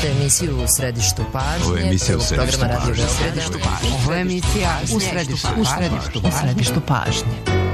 Slušajte emisiju U središtu pažnje. Ovo je emisija U središtu pažnje. Ovo je emisija U središtu pažnje.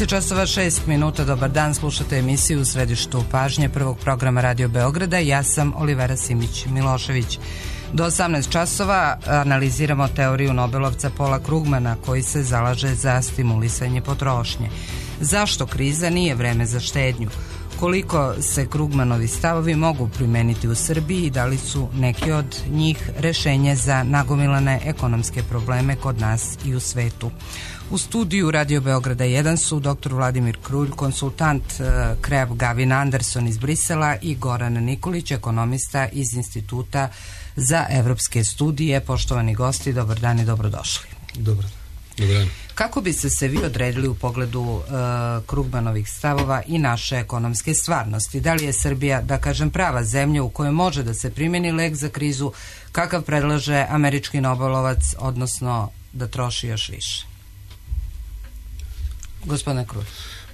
Časova 6 dobar dan, slušate emisiju U središtu pažnje prvog programa Radio Beograda. Ja sam Olivera Simić-Milošević. Do 18 časova analiziramo teoriju Nobelovca Paula Krugmana koji se zalaže za stimulisanje potrošnje. Zašto kriza nije vreme za štednju? Koliko se Krugmanovi stavovi mogu primeniti u Srbiji i da li su neki od njih rešenje za nagomilane ekonomske probleme kod nas i u svetu? U studiju Radio Beograda 1 su dr. Vladimir Krulj, konsultant Kreb Gavin Anderson iz Brisela i Goran Nikolić, ekonomista iz Instituta za evropske studije. Poštovani gosti, dobar dan i dobrodošli. Dobar dan. Kako biste se vi odredili u pogledu Krugmanovih stavova i naše ekonomske stvarnosti? Da li je Srbija, da kažem, prava zemlja u kojoj može da se primjeni lek za krizu kakav predlaže američki Nobelovac, odnosno da troši još više? Gospodine Krulj.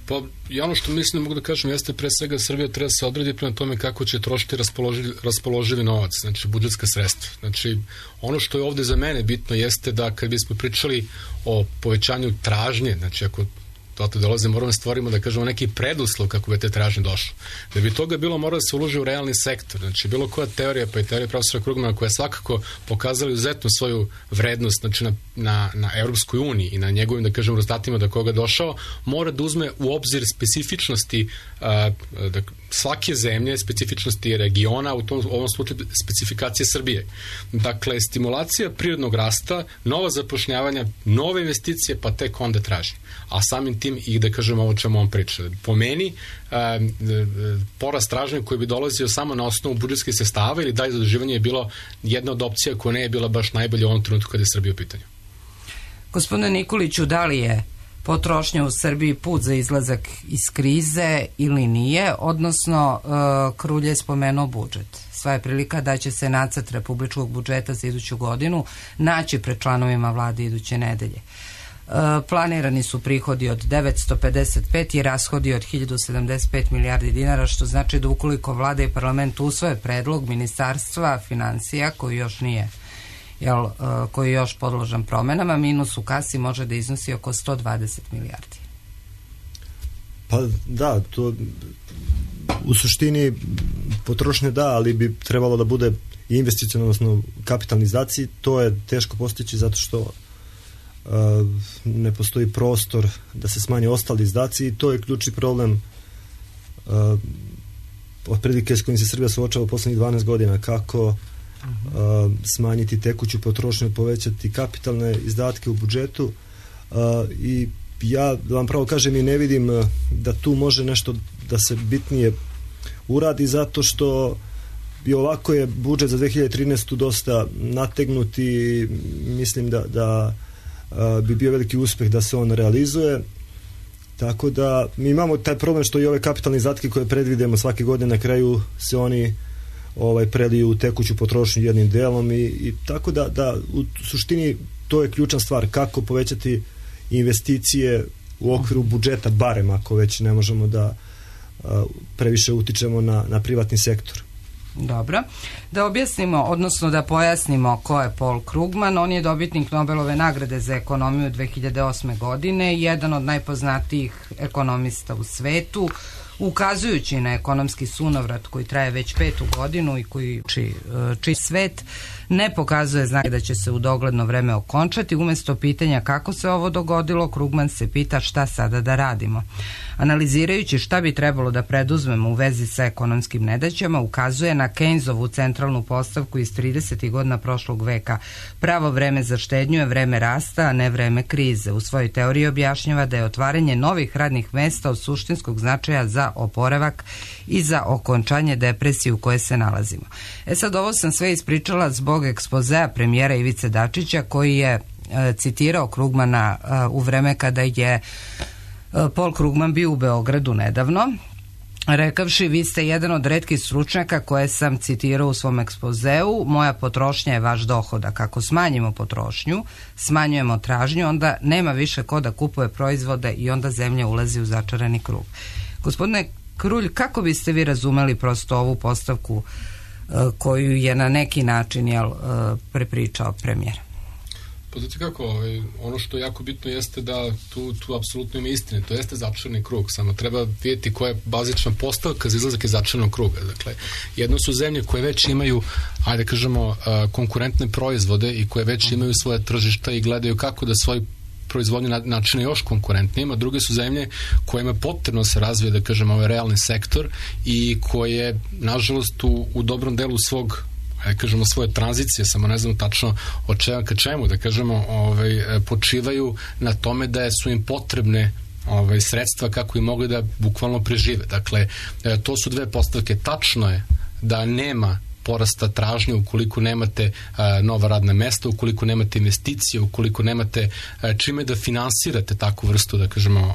Pa, ja ono što mislim da mogu da kažem jeste pre svega Srbija treba se odredi prema tome kako će trošiti raspoloživi novac, znači budžetska sredstva. Znači, ono što je ovde za mene bitno jeste da kad bismo pričali o povećanju tražnje, znači ako to dolaze, moramo stvorimo da kažemo neki preduslov kako bi te tražnje došlo. Da bi toga bilo, mora da se uloži u realni sektor. Znači, bilo koja teorija, pa i teorija profesora Krugmana koja je svakako pokazala izuzetno svoju vrednost, znači na Evropskoj uniji i na njegovim, da kažem, rezultatima da koga došao, mora da uzme u obzir specifičnosti svake zemlje, specifičnosti regiona, u ovom slučaju specifikacije Srbije. Dakle, stimulacija prirodnog rasta, nova zapošljavanja, nove investicije, pa tek onda traži. A samim tim i da kažem ovo čemu on priča. Po meni, porast tražnje koji bi dolazio samo na osnovu budžetskih sredstava ili dalje zaduživanje je bilo jedna od opcija koja ne je bila baš najbolja u ovom trenutku kada je Srbija u pitanju. Gospodine Nikoliću, da li je potrošnja u Srbiji put za izlazak iz krize ili nije, odnosno Krulj je spomenuo budžet. Sva je prilika da će se nacrt republičkog budžeta za iduću godinu naći pred članovima vlade iduće nedelje. Planirani su prihodi od 955 i rashodi od 1075 milijardi dinara, što znači da ukoliko vlada i parlament usvoje predlog ministarstva financija koji još nije koji je još podložan promenama, minus u kasi može da iznosi oko 120 milijardi. Pa da, to u suštini potrošnje da, ali bi trebalo da bude investicionalno, odnosno kapitalizaciji. To je teško postići zato što ne postoji prostor da se smanje ostali izdaci i to je ključni problem otprilike s kojim se Srbija suočava u poslednjih 12 godina, kako smanjiti tekuću potrošnju, povećati kapitalne izdatke u budžetu i ja da vam pravo kažem i ne vidim da tu može nešto da se bitnije uradi zato što i ovako je budžet za 2013. dosta nategnut i mislim da bi bio veliki uspeh da se on realizuje, tako da mi imamo taj problem što i ove kapitalne izdatke koje predvidimo svake godine na kraju se oni preliju u tekuću potrošnju jednim delom i tako da u suštini to je ključna stvar, kako povećati investicije u okviru budžeta, barem ako već ne možemo da previše utičemo na privatni sektor. Dobro. Da objasnimo, odnosno da pojasnimo ko je Paul Krugman. On je dobitnik Nobelove nagrade za ekonomiju 2008. godine, jedan od najpoznatijih ekonomista u svetu, ukazujući na ekonomski sunovrat koji traje već 5. godinu i koji čiji svet, ne pokazuje znake da će se u dogledno vreme okončati. Umjesto pitanja kako se ovo dogodilo, Krugman se pita šta sada da radimo. Analizirajući šta bi trebalo da preduzmemo u vezi sa ekonomskim nedaćama, ukazuje na Keynesovu centralnu postavku iz 30. godina prošlog veka. Pravo vreme za štednju je vreme rasta, a ne vreme krize. U svojoj teoriji objašnjava da je otvaranje novih radnih mesta od suštinskog značaja za oporavak i za okončanje depresije u kojoj se nalazimo. Sad ovo sam sve ispričala zbog ekspozea premijera Ivice Dačića koji je citirao Krugmana u vreme kada je Paul Krugman bio u Beogradu nedavno, rekavši: vi ste jedan od retkih stručnjaka koje sam citirao u svom ekspozeu, moja potrošnja je vaš dohodak. Ako smanjimo potrošnju, smanjujemo tražnju, onda nema više ko da kupuje proizvode i onda zemlja ulazi u začarani krug. Gospodine Krulj, kako biste vi razumeli prosto ovu postavku koju je na neki način prepričao premijer? Pa znate kako, ono što je jako bitno jeste da tu apsolutno ima istine, to jeste začarani krug, samo treba vidjeti koja je bazična postavka za izlazak iz začaranog kruga. Dakle, jedno su zemlje koje već imaju, ajde kažemo, konkurentne proizvode i koje već imaju svoje tržišta i gledaju kako da svoj proizvodnju načine još konkurentnijima, druge su zemlje kojima je potrebno se razvije, da kažemo, ovaj realni sektor i koje, nažalost, u dobrom delu svog, kažemo, svoje tranzicije, samo ne znam tačno od čega ka čemu, da kažemo, počivaju na tome da su im potrebne sredstva kako i mogli da bukvalno prežive. Dakle, to su dve postavke. Tačno je da nema porasta tražnje ukoliko nemate nova radna mesta, ukoliko nemate investicije, ukoliko nemate čime da finansirate takvu vrstu, da kažemo,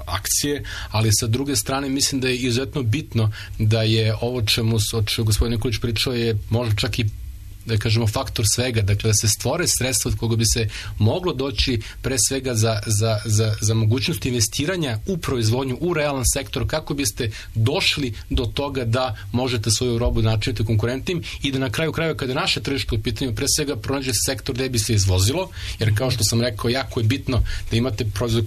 akcije, ali sa druge strane mislim da je izuzetno bitno da je ovo čemu gospodin Nikolić pričao je možda čak i, da kažemo, faktor svega, dakle da se stvore sredstva od koga bi se moglo doći pre svega za mogućnost investiranja u proizvodnju, u realan sektor, kako biste došli do toga da možete svoju robu načiniti konkurentnim i da na kraju krajeva kada naše tržište u pitanju pre svega pronađe sektor gde bi se izvozilo, jer kao što sam rekao, jako je bitno da imate proizvod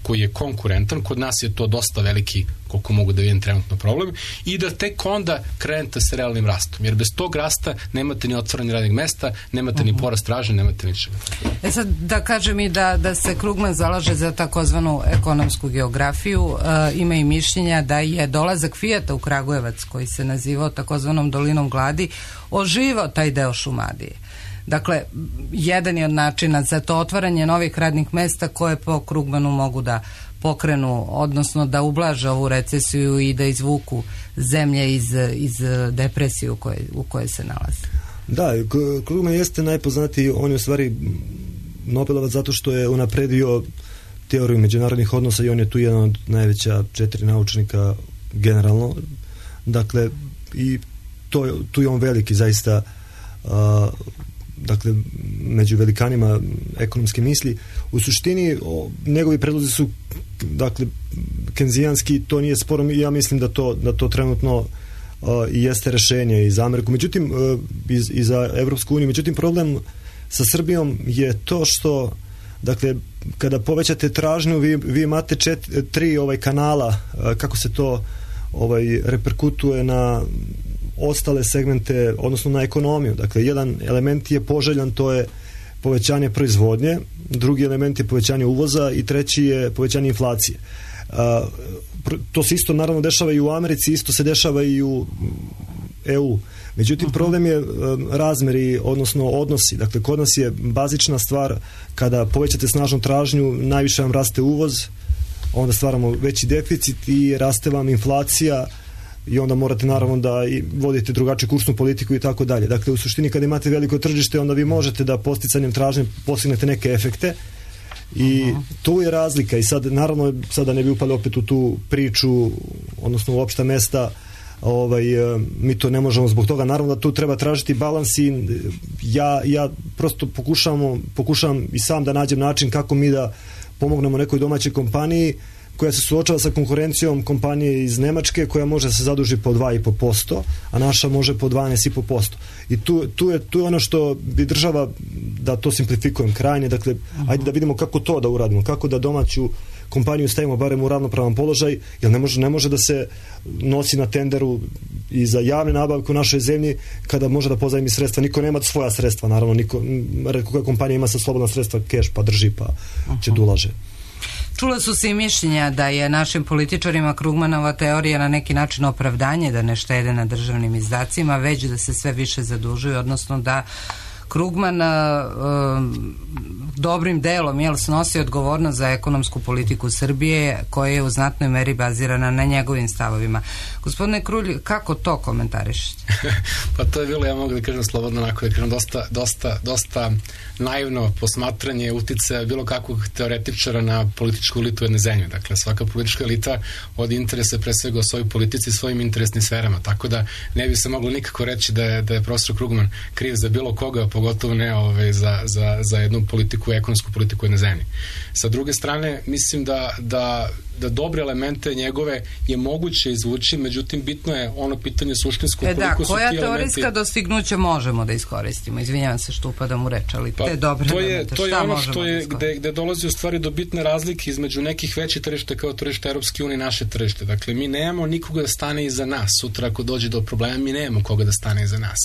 koji je konkurentan, kod nas je to dosta veliki, koliko mogu da vidim trenutno problem, i da tek onda krenete sa realnim rastom, jer bez tog rasta nemate ni otvaranje radnih mesta, nemate ni porast tražnje, nemate ničega. Sad da kažem i da se Krugman zalaže za takozvanu ekonomsku geografiju, ima i mišljenja da je dolazak Fijata u Kragujevac, koji se nazivao takozvanom dolinom gladi, oživao taj deo Šumadije. Dakle, jedan je od načina za to otvaranje novih radnih mesta koje po Krugmanu mogu da pokrenu, odnosno da ublaže ovu recesiju i da izvuku zemlje iz depresije u kojoj se nalazi. Da, Krugman jeste najpoznatiji, on je u stvari Nobelovac zato što je unapredio teoriju međunarodnih odnosa i on je tu jedan od najveća 4 naučnika generalno. Dakle, i tu je on veliki zaista, dakle, među velikanima ekonomske misli. U suštini, njegovi predlozi su, dakle, kenzijanski, to nije sporo, ja mislim da to trenutno i jeste rešenje i za Ameriku, međutim, i za Evropsku uniju. Međutim, problem sa Srbijom je to što, dakle, kada povećate tražnju, vi imate 3 kanala, kako se to reperkutuje na ostale segmente, odnosno na ekonomiju. Dakle, jedan element je poželjan, to je povećanje proizvodnje, drugi element je povećanje uvoza i treći je povećanje inflacije. To se isto naravno dešava i u Americi, isto se dešava i u EU. Međutim, problem je razmeri, odnosno odnosi. Dakle, kod nas je bazična stvar, kada povećate snažnu tražnju, najviše vam raste uvoz, onda stvaramo veći deficit i raste vam inflacija i onda morate naravno da vodite drugačiju kursnu politiku i tako dalje. Dakle, u suštini kada imate veliko tržište, onda vi možete da posticanjem tražnje postignete neke efekte i tu je razlika. I sad, naravno, sada ne bi upali opet u tu priču, odnosno u opšta mesta, mi to ne možemo zbog toga. Naravno da tu treba tražiti balans i ja prosto pokušavam i sam da nađem način kako mi da pomognemo nekoj domaćoj kompaniji koja se suočava sa konkurencijom kompanije iz Nemačke koja može se zaduži po 2,5%, a naša može po 12,5%. I tu je ono što bi država, da to simplifikujem krajnje, dakle, ajde da vidimo kako to da uradimo, kako da domaću kompaniju stavimo barem u ravnopravan položaj, jer ne može da se nosi na tenderu i za javne nabavke u našoj zemlji kada može da pozajmi sredstva. Niko nema svoja sredstva, naravno, koja kompanija ima sa slobodna sredstva, keš pa drži pa će da ulaže. Čula su se i mišljenja da je našim političarima Krugmanova teorija na neki način opravdanje da ne štede na državnim izdacima, već da se sve više zadužuju, odnosno da Krugman dobrim delom snosi odgovornost za ekonomsku politiku Srbije, koja je u znatnoj meri bazirana na njegovim stavovima. Gospodine Krulj, kako to komentarišete? Pa to je bilo, ja mogu da kažem slobodno, onako da kažem, dosta naivno posmatranje uticaja bilo kakvog teoretičara na političku elitu jedne zemlje. Dakle, svaka politička elita od interesa pre svega o svojoj politici i svojim interesnim sferama. Tako da ne bi se moglo nikako reći da je profesor Krugman kriv za bilo koga, pogotovo ne za jednu politiku, ekonomsku politiku jedne zemlje. Sa druge strane, mislim da dobre elemente njegove je moguće izvući, međutim bitno je ono pitanje suštinsko koliko su ti elementi... Koja teorijska dostignuća možemo da iskoristimo? Izvinjavam se što upadam u reč, ali te dobre elemente, to je ono što je gde dolazi u stvari do bitne razlike između nekih većih tržišta kao tržište Europske unije i naše tržište. Dakle, mi nemamo nikoga da stane iza nas. Sutra ako dođe do problema, mi nemamo koga da stane iza nas.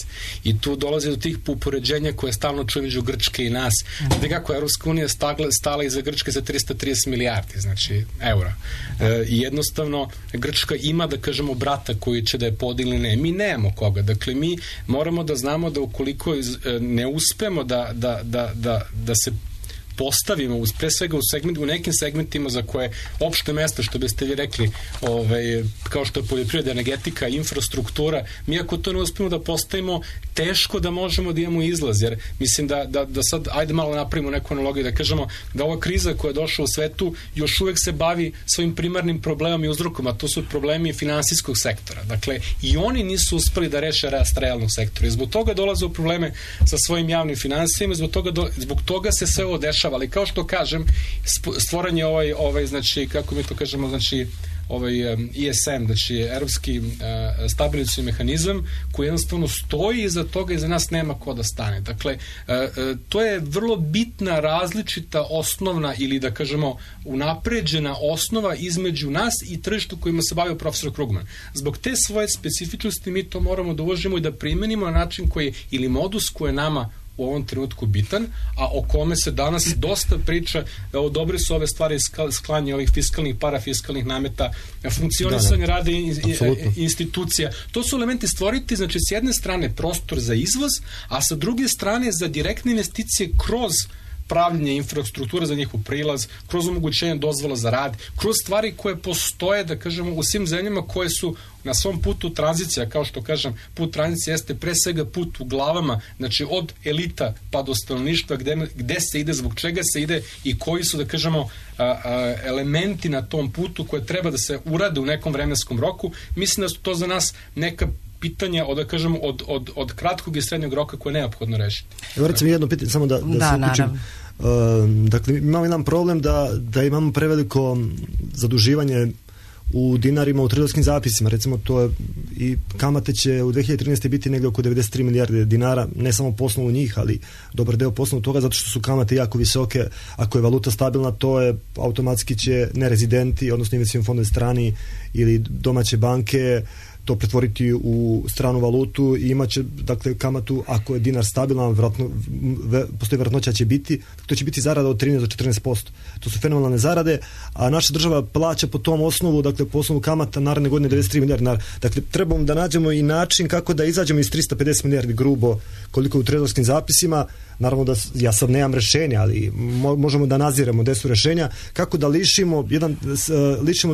I tu dolazi do tih upoređenja koje stalno čujem među Grčke i nas. Gde kako Europska unija stala iza Grčke za 330 milijardi, znači eura. I jednostavno Grčka ima, da kažemo, brata koji će da je podigne, ne. Mi nemamo koga. Dakle, mi moramo da znamo da ukoliko ne uspemo da se postavimo pre svega u nekim segmentima za koje opšte mesta, što biste vi rekli, kao što je poljoprivreda, energetika, infrastruktura, mi ako to ne uspemo da postavimo, teško da možemo da imamo izlaz, jer mislim da sad, ajde malo napravimo neku analogiju, da kažemo da ova kriza koja je došla u svetu još uvek se bavi svojim primarnim problemom i uzrokom, a to su problemi finansijskog sektora. Dakle, i oni nisu uspeli da reše rast realnog sektora i zbog toga dolaze u probleme sa svojim javnim finansijama, zbog toga se sve ovo dešava. Ali kao što kažem, stvoren je znači, kako mi to kažemo, znači ISM, znači Evropski stabilizacioni mehanizam, koji jednostavno stoji iza toga i za nas nema ko da stane. Dakle, to je vrlo bitna različita osnovna ili da kažemo unapređena osnova između nas i tržišta kojima se bavio profesor Krugman. Zbog te svoje specifičnosti mi to moramo da uvažimo i da primenimo na način koji ili modus koji je nama u ovom trenutku bitan, a o kome se danas dosta priča. Dobre su ove stvari, sklanje ovih fiskalnih, parafiskalnih nameta, funkcionisanje rada institucija. To su elementi stvoriti, znači s jedne strane prostor za izvoz, a sa druge strane za direktne investicije kroz pravljenje infrastruktura za njihov prilaz, kroz omogućenje dozvola za rad, kroz stvari koje postoje, da kažemo, u svim zemljama koje su na svom putu tranzicija, kao što kažem, put tranzicije jeste pre svega put u glavama, znači od elita pa do stanovništva, gde se ide, zbog čega se ide i koji su, da kažemo, elementi na tom putu koje treba da se urade u nekom vremenskom roku. Mislim da su to za nas neka pitanja, da kažemo, od kratkog i srednjeg roka koje je neophodno rešiti. Evo recimo jedno pitanje, samo da se uključim. Dakle, imamo jedan problem da imamo preveliko zaduživanje u dinarima u trezorskim zapisima. Recimo, to je, i kamate će u 2013. biti negdje oko 93 milijarde dinara, ne samo po osnovu njih, ali dobar deo po osnovu toga, zato što su kamate jako visoke. Ako je valuta stabilna, to je automatski će nerezidenti, odnosno investicioni fondovi strani ili domaće banke to pretvoriti u stranu valutu i imaće, dakle, kamatu, ako je dinar stabilan, postoji vjerojatnoća će biti, to će biti zarada od 13 do 14%. To su fenomenalne zarade, a naša država plaća po tom osnovu, dakle, po osnovu kamata naredne godine 93 milijardi dinara. Dakle, trebamo da nađemo i način kako da izađemo iz 350 milijardi grubo, koliko je u trezorskim zapisima. Naravno da ja sad nemam rešenja, ali možemo da naziramo gde su rešenja, kako da lišimo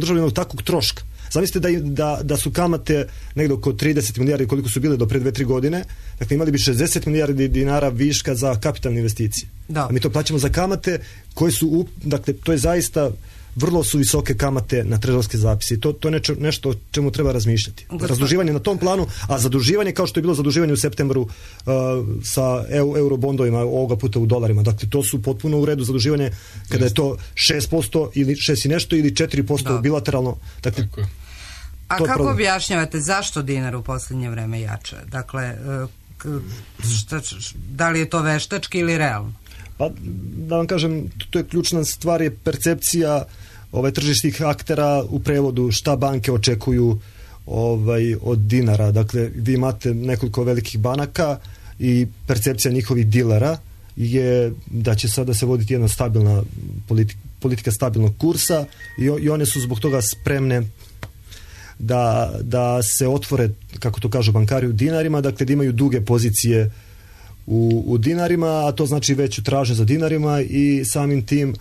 državu jednog takvog troška. Zamislite da su kamate negdje oko 30 milijardi koliko su bile do pre 2-3 godine, dakle imali bi 60 milijardi dinara viška za kapitalne investicije. Da. A mi to plaćamo za kamate koje su, dakle, to je zaista vrlo su visoke kamate na trezorske zapise i to je nešto o čemu treba razmišljati. Razduživanje na tom planu, a zaduživanje kao što je bilo zaduživanje u septembru sa eurobondovima, ovoga puta u dolarima. Dakle, to su potpuno u redu zaduživanje kada je to 6% ili 6 i nešto ili 4% bilateralno. Dakle, a kako objašnjavate zašto dinar u posljednje vreme jača? Dakle, da li je to veštački ili realno? Pa, da vam kažem, to je ključna stvar, je percepcija tržišnih aktera, u prevodu šta banke očekuju od dinara. Dakle, vi imate nekoliko velikih banaka i percepcija njihovih dilera je da će sada se voditi jedna stabilna politika stabilnog kursa i one su zbog toga spremne da se otvore, kako to kažu bankari, u dinarima, dakle da imaju duge pozicije u dinarima, a to znači veću tražnju za dinarima i samim tim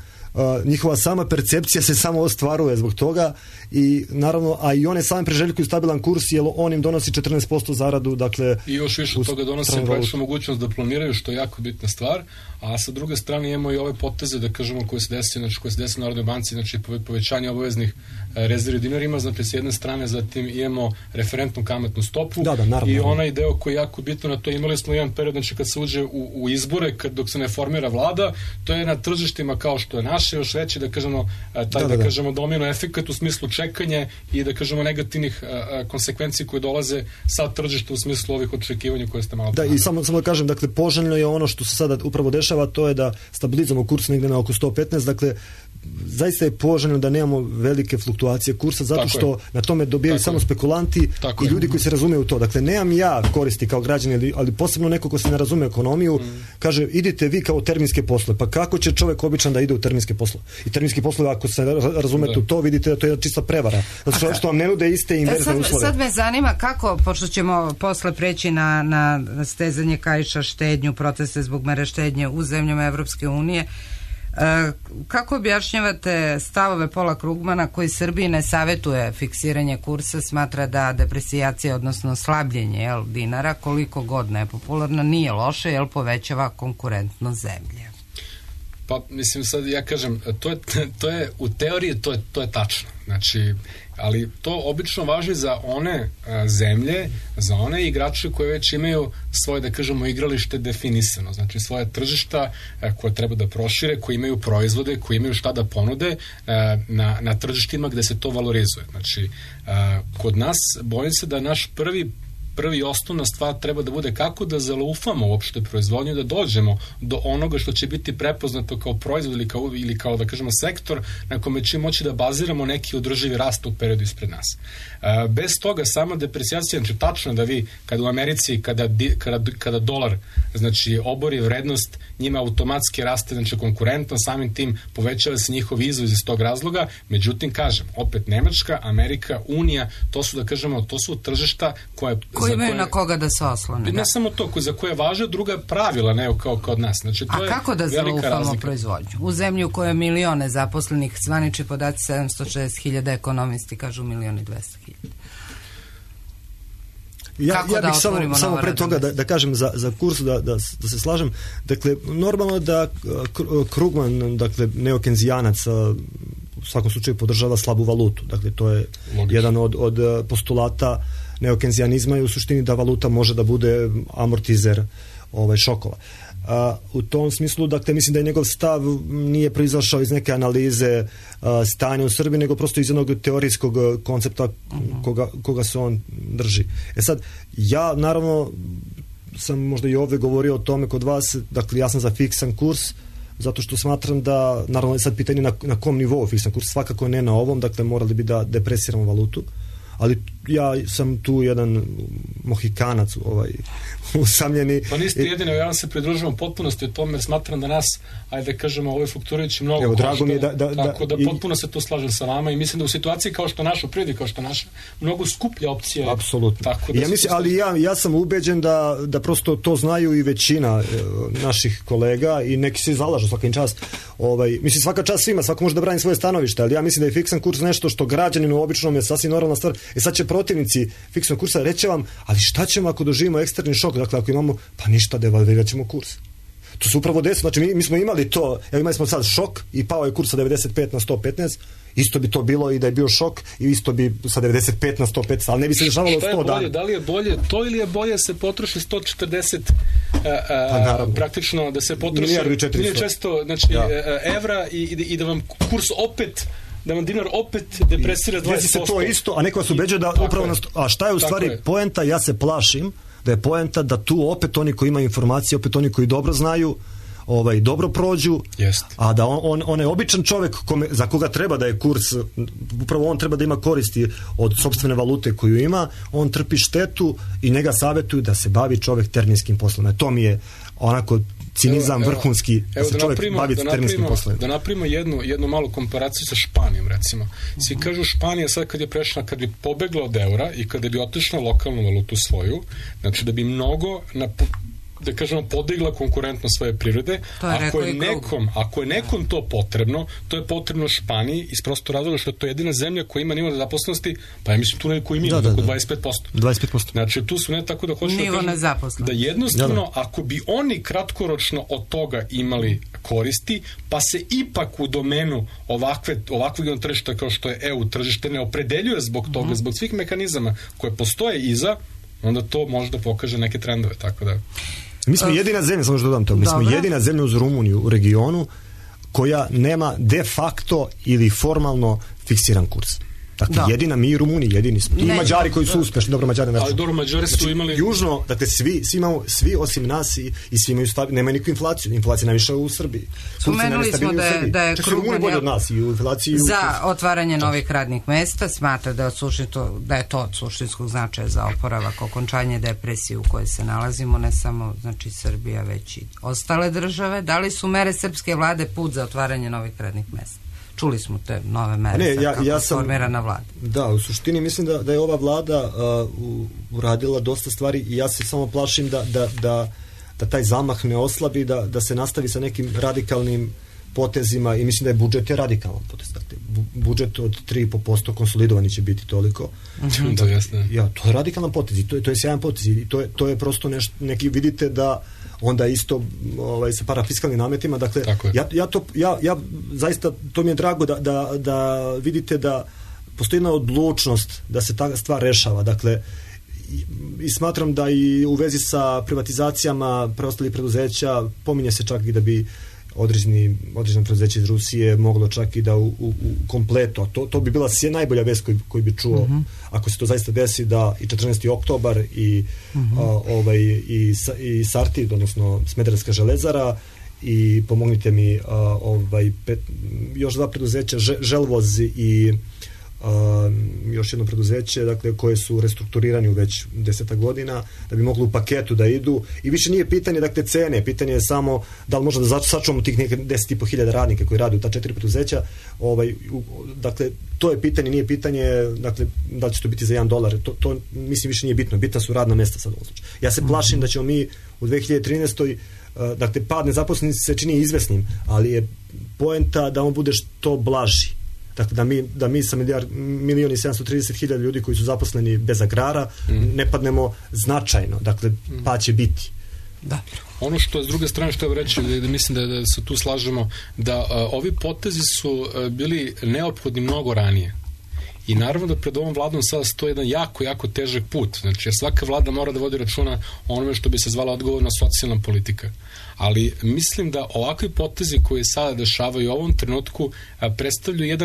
njihova sama percepcija se samo ostvaruje zbog toga i naravno, a i one same preželjkuju stabilan kurs jer on im donosi 14% zaradu, dakle i još više od toga donosi praktično mogućnost da planiraju, što je jako bitna stvar, a sa druge strane imamo i ove poteze, da kažemo, koje se desi u Narodnoj banci, znači povećanje obaveznih rezervi dinarima, znači s jedne strane, zatim imamo referentnu kamatnu stopu i onaj deo koji je jako bitno, na to imali smo jedan period, znači kad se uđe u izbore, dok se ne formira vlada, to je na tržištima kao što je naše, još veći, da kažemo, da kažemo domino efekat u smislu čekanje i da kažemo negativnih konsekvenci koje dolaze sa tržišta u smislu ovih očekivanja koje ste malo ponavljali. I samo da kažem, dakle, poželjno je ono što se sada upravo dešava, to je da stabilizujemo kurs negdje na oko 115, dakle, zaista je poželjno da nemamo velike fluktuacije kursa, zato što na tome dobijaju samo spekulanti i ljudi koji se razumiju u to. Dakle, nemam ja koristi kao građani, ali posebno neko ko se ne razume ekonomiju, kaže, idite vi kao terminske poslove. Pa kako će čovjek običan da ide u terminske poslove? I terminski poslovi, ako se razumete u to, vidite da to je čista prevara. Zato što vam ne nude iste inverzne uslove. Sad me zanima kako, pošto ćemo posle preći na stezanje kaiša, štednju, proteste zbog mere štednje u zemljama Evropske unije, kako objašnjavate stavove Paula Krugmana koji Srbiji ne savjetuje fiksiranje kursa, smatra da depresijacija, odnosno slabljenje dinara, koliko god nepopularno, nije loše jer povećava konkurentnost zemlje? Pa, mislim, sad ja kažem, to je u teoriji to je tačno. Znači, ali to obično važi za one zemlje, za one igrače koje već imaju svoje, da kažemo, igralište definisano, znači svoje tržišta koje treba da prošire, koji imaju proizvode, koji imaju šta da ponude na tržištima gde se to valorizuje. Znači, kod nas bojim se da naš prvi osnovna stvar treba da bude kako da zalaufamo uopšte proizvodnju, da dođemo do onoga što će biti prepoznato kao proizvod ili kao da kažemo sektor na kome će moći da baziramo neki održivi rast u periodu ispred nas. Bez toga sama depresijacija, znači tačno da vi kada u Americi kada dolar znači obori vrednost, njima automatski raste znači konkurentno, samim tim povećava se njihov izvoz iz tog razloga, međutim kažem, opet Nemačka, Amerika, Unija, to su da kažemo, to su tržišta koje imaju na koga da se oslone. Ne samo to, za koje važe druga pravila, ne kao kod nas. Znači, to a kako da zalaufamo proizvodnju? U zemlji u kojoj je milione zaposlenih, zvanični podaci 760.000, ekonomisti kažu 1.200.000. Ja bih samo pre toga da kažem za kurs, da se slažem. Dakle, normalno da Krugman, dakle, neokenzijanac, u svakom slučaju podržava slabu valutu. Dakle, to je jedan od postulata neokenzijanizma i u suštini da valuta može da bude amortizer šokova. U tom smislu, dakle, mislim da je njegov stav nije proizašao iz neke analize stanja u Srbiji, nego prosto iz jednog teorijskog koncepta koga se on drži. Sad, ja naravno sam možda i ovdje govorio o tome kod vas, dakle, ja sam za fiksan kurs, zato što smatram da, naravno je sad pitanje na kom nivou fiksan kurs, svakako ne na ovom, dakle morali bi da depresiramo valutu, ali ja sam tu jedan mohikanac usamljeni. Pa niste jedino, ja vam se pridružujem potpunosti o tome, smatram da nas, ajde da kažemo, ove flukturajući mnogo košta, tako da potpuno se tu slažem sa vama i mislim da u situaciji kao što naša prirodi, kao što naša, mnogo skuplja opcija. Apsolutno. Ali ja sam ubeđen da prosto to znaju i većina naših kolega i neki se zalažu svakim čast. Mislim, svaka čast svima, svako može da brani svoje stanovište, ali ja mislim da je fiksan kurs nešto što građaninu običnom je sasvim normalna stvar. Sad će protivnici fiksnog kursa reći vam, ali šta ćemo ako doživimo eksterni šok, dakle ako imamo, pa ništa, devalvirat ćemo kurs. To se upravo desilo, znači mi smo imali to, imali smo sad šok i pao je kurs sa 95 na 115, isto bi to bilo i da je bio šok i isto bi sa 95 na 115, ali ne bi se dešavalo 100 dana. Da li je bolje to ili je bolje se potroši 140 praktično da se potroši 1400 znači, evra i da vam kurs opet, da vam dinar opet depresira 20%. Desi se to isto, a neko vas ubeđuje da upravo a šta je u stvari poenta, ja se plašim da je poenta da tu opet oni koji imaju informacije, opet oni koji dobro znaju, dobro prođu, a da on je običan čovjek za koga treba da je kurs, upravo on treba da ima koristi od sopstvene valute koju ima, on trpi štetu i njega savjetuju da se bavi čovjek terminskim poslovima. To mi je onako cinizam vrhunski, da se čovjek bavi terminskim poslovima. Da napravimo jednu malu komparaciju sa Španijom, recimo. Svi kažu Španija sad kad bi pobegla od eura i kada bi otišla lokalnu valutu svoju, znači da bi mnogo da kažemo podigla konkurentno svoje prirode. Ako je nekom to potrebno, to je potrebno Španiji iz prostog razloga što je to jedina zemlja koja ima nivo nezaposlenosti, pa ja mislim tu neko ima oko 25%. Znači tu su ne tako da hoćemo da jednostavno ako bi oni kratkoročno od toga imali koristi, pa se ipak u domenu ovakvog tržišta kao što je EU tržište ne opredeljuje zbog toga, zbog svih mehanizama koje postoje iza, onda to može da pokaže neke trendove, tako da... Mi smo jedina zemlja, samo što dodam to, mi smo jedina zemlja uz Rumuniju u regionu koja nema de facto ili formalno fiksiran kurs. Dakle, jedina mi i Rumuni, jedini smo. I Mađari koji su uspešni, dobro Mađari ne. Ali dobro, Mađari su imali... Južno, dakle, svi osim nas i svi imaju nema nikakvu inflaciju. Inflacija najviše u Srbiji. Spomenuli smo da je Rumuni bolje od nas i u inflaciji... Za otvaranje novih radnih mesta smatra da je to od suštinskog značaja za oporavak, okončanje depresije u kojoj se nalazimo, ne samo znači Srbija, već i ostale države. Da li su mere srpske vlade put za otvaranje novih radnih mesta? Čuli smo te nove mere kako formirana vlada. Da, u suštini mislim da je ova vlada uradila dosta stvari i ja se samo plašim da taj zamah ne oslabi, da se nastavi sa nekim radikalnim potezima i mislim da je budžet radikalan potez. Budžet od 3,5% konsolidovani će biti toliko. To je radikalan potez i to je sjajan potez i to je prosto neki, vidite da onda isto sa parafiskalnim nametima, dakle ja zaista, to mi je drago da vidite da postoji jedna odlučnost da se ta stvar rešava, dakle i smatram da i u vezi sa privatizacijama preostalih preduzeća pominje se čak i da bi određeno preduzeće iz Rusije moglo čak i da u kompleto, to bi bila najbolja vest koju bi čuo ako se to zaista desi, da i 14. oktobar i Sartid, odnosno Smederevska železara i pomognite mi još dva preduzeća, Želvoz i još jedno preduzeće, dakle, koje su restrukturirani u već 10 godina, da bi mogli u paketu da idu i više nije pitanje, dakle, cene, pitanje je samo da li možda da sačuvamo tih neke 10.500 radnika koji rade u ta 4 preduzeća, dakle, to je pitanje, nije pitanje, dakle, da li će to biti za $1, to mislim više nije bitno, bitna su radna mesta sad u ovom slučaju. Ja se plašim da ćemo mi u 2013. dakle, pad nezaposlenosti se čini izvesnim, ali je poenta da on bude što blaži. Dakle, da mi sa 1.730.000 ljudi koji su zaposleni bez agrara ne padnemo značajno. Dakle, pa će biti. Da. Ono što s druge strane što je reći, da mislim da se tu slažemo, da ovi potezi su bili neophodni mnogo ranije. I naravno da pred ovom vladom sada stoji jedan jako, jako težak put. Znači, svaka vlada mora da vodi računa o onome što bi se zvala odgovorna socijalna politika. Ali mislim da ovakvi potezi koji sada dešavaju u ovom trenutku predstavljaju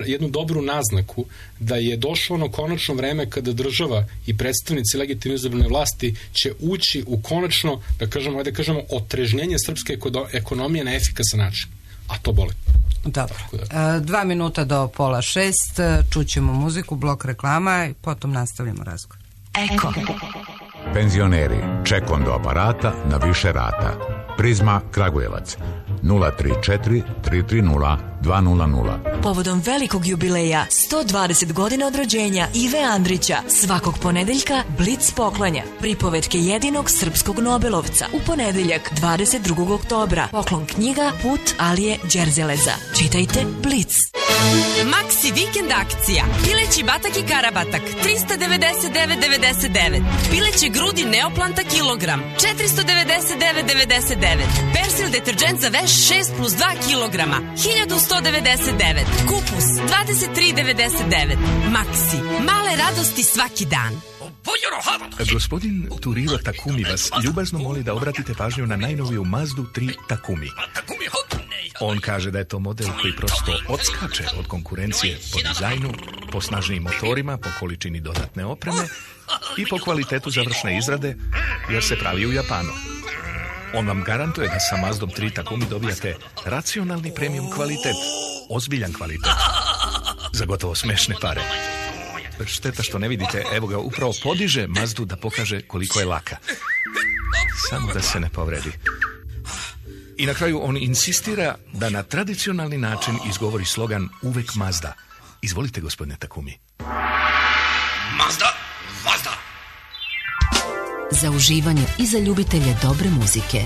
jednu dobru naznaku da je došlo ono konačno vreme kada država i predstavnici legitimno izabrane vlasti će ući u konačno, da kažemo, otrežnjenje srpske ekonomije na efikasan način. A to boli. Dobro. 2 minuta do 5:30, čućemo muziku, blok reklama i potom nastavljamo razgovor. Eko. Penzioneri, ček do aparata na više rata. Prizma Kragujevac 034 330 200. Povodom velikog jubileja 120 godina od rođenja Ive Andrića, svakog ponedeljka Blic poklanja pripovetke jedinog srpskog Nobelovca. U ponedeljak 22. oktobra poklon knjiga Put Alije Đerzeleza. Čitajte Blic. Maxi vikend akcija. Pileći batak i karabatak 399,99. Pileće grudi Neoplanta kilogram 499,99. Persil deterđent za veš 6+2 kilograma 1199. Kupus 23,99. Maxi. Male radosti svaki dan. Gospodin Turiro Takumi vas ljubazno moli da obratite pažnju na najnoviju Mazdu 3 Takumi. On kaže da je to model koji prosto odskače od konkurencije po dizajnu, po snažnijim motorima, po količini dodatne opreme i po kvalitetu završne izrade, jer se pravi u Japanu. On vam garantuje da sa Mazdom 3 Takumi dobijate racionalni premium kvalitet, ozbiljan kvalitet, za gotovo smešne pare. Šteta što ne vidite, evo ga, upravo podiže Mazdu da pokaže koliko je laka. Samo da se ne povredi. I na kraju on insistira da na tradicionalni način izgovori slogan uvek Mazda. Izvolite, gospodine Takumi. Mazda, Mazda. Za uživanje i za ljubitelje dobre muzike.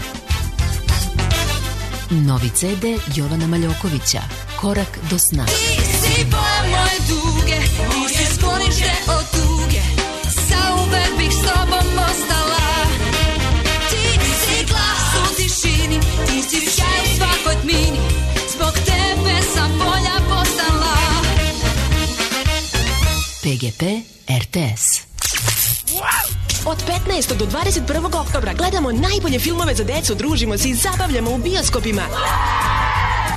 Novi CD Jovana Maljokovića, Korak do sna. Ti si boja moje duge, ti si sklonište od tuge, zauvek bih s tobom ostala. Ti si glas u tišini, ti si sjaj u svakoj tmini, zbog tebe sam bolja postala. PGP RTS. Od 15. do 21. oktobra gledamo najbolje filmove za decu, družimo se i zabavljamo u bioskopima.